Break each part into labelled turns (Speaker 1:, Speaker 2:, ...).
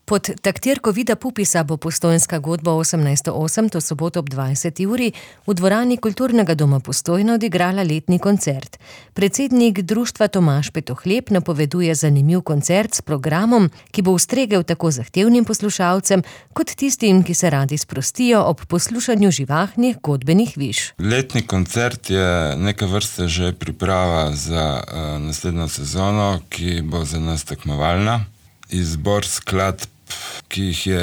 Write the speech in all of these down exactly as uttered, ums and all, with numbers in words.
Speaker 1: Pod taktirko Vida Pupisa bo Postojnska godba osemnajststo osem to soboto ob dvajseti uri v dvorani Kulturnega doma Postojna odigrala letni koncert. Predsednik društva Tomaž Petohlep napoveduje zanimiv koncert s programom, ki bo ustregel tako zahtevnim poslušalcem, kot tistim, ki se radi sprostijo ob poslušanju živahnih godbenih viž.
Speaker 2: Letni koncert je neke vrste že priprava za uh, naslednjo sezono, ki bo za nas tekmovalna. Izbor skladb, ki jih je,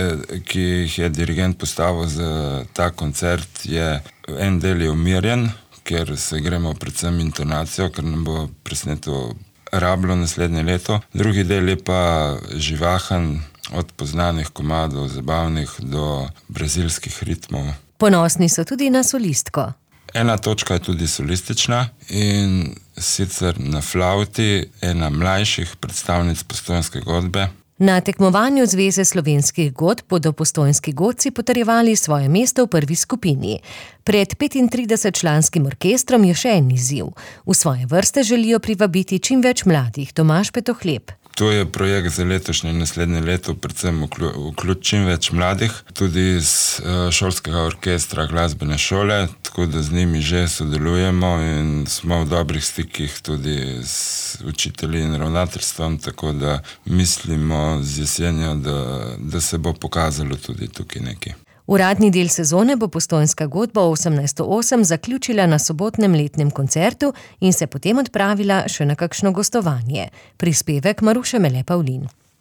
Speaker 2: ki jih je dirigent postavil za ta koncert, je en del je umirjen, ker se gremo predvsem intonacijo, ker nam bo presneto rablo naslednje leto. Drugi del je pa živahen, od poznanih komadov, zabavnih do brazilskih ritmov.
Speaker 1: Ponosni so tudi na solistko.
Speaker 2: Ena točka je tudi solistična in sicer na flavti ena mlajših predstavnic postojnske godbe.
Speaker 1: Na tekmovanju Zveze slovenskih godb bodo postojnski godci potrjevali svoje mesto v prvi skupini. Pred petintridesetčlanskim orkestrom je še en izziv. V svoje vrste želijo privabiti čim več mladih. Tomaž Petohlep.
Speaker 2: To je projekt za letošnje in naslednje leto, predvsem vključ čim več mladih, tudi iz šolskega orkestra glasbene šole, tako da z njimi že sodelujemo in smo v dobrih stikih tudi z učitelji in ravnateljstvom, tako da mislimo z jesenjo, da, da se bo pokazalo tudi tukaj nekaj.
Speaker 1: Uradni del sezone bo Postojnska godba osemnajststo osem zaključila na sobotnem letnem koncertu in se potem odpravila še na kakšno gostovanje. Prispevek Maruše Mele Pavlin.